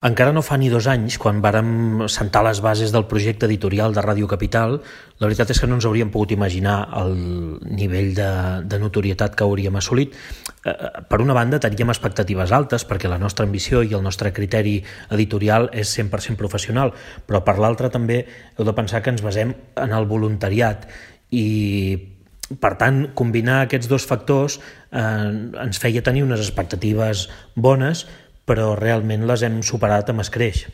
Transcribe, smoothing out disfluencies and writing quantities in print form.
Encara no fa ni 2 anys, quan vàrem sentar les bases del projecte editorial de Ràdio Capital, la veritat és que no ens hauríem pogut imaginar el nivell de notorietat que hauríem assolit. Per una banda, teníem expectatives altes, perquè la nostra ambició i el nostre criteri editorial és 100% professional, però per l'altra també heu de pensar que ens basem en el voluntariat i, per tant, combinar aquests dos factors ens feia tenir unes expectatives bones, però realment les hem superat amb escreix.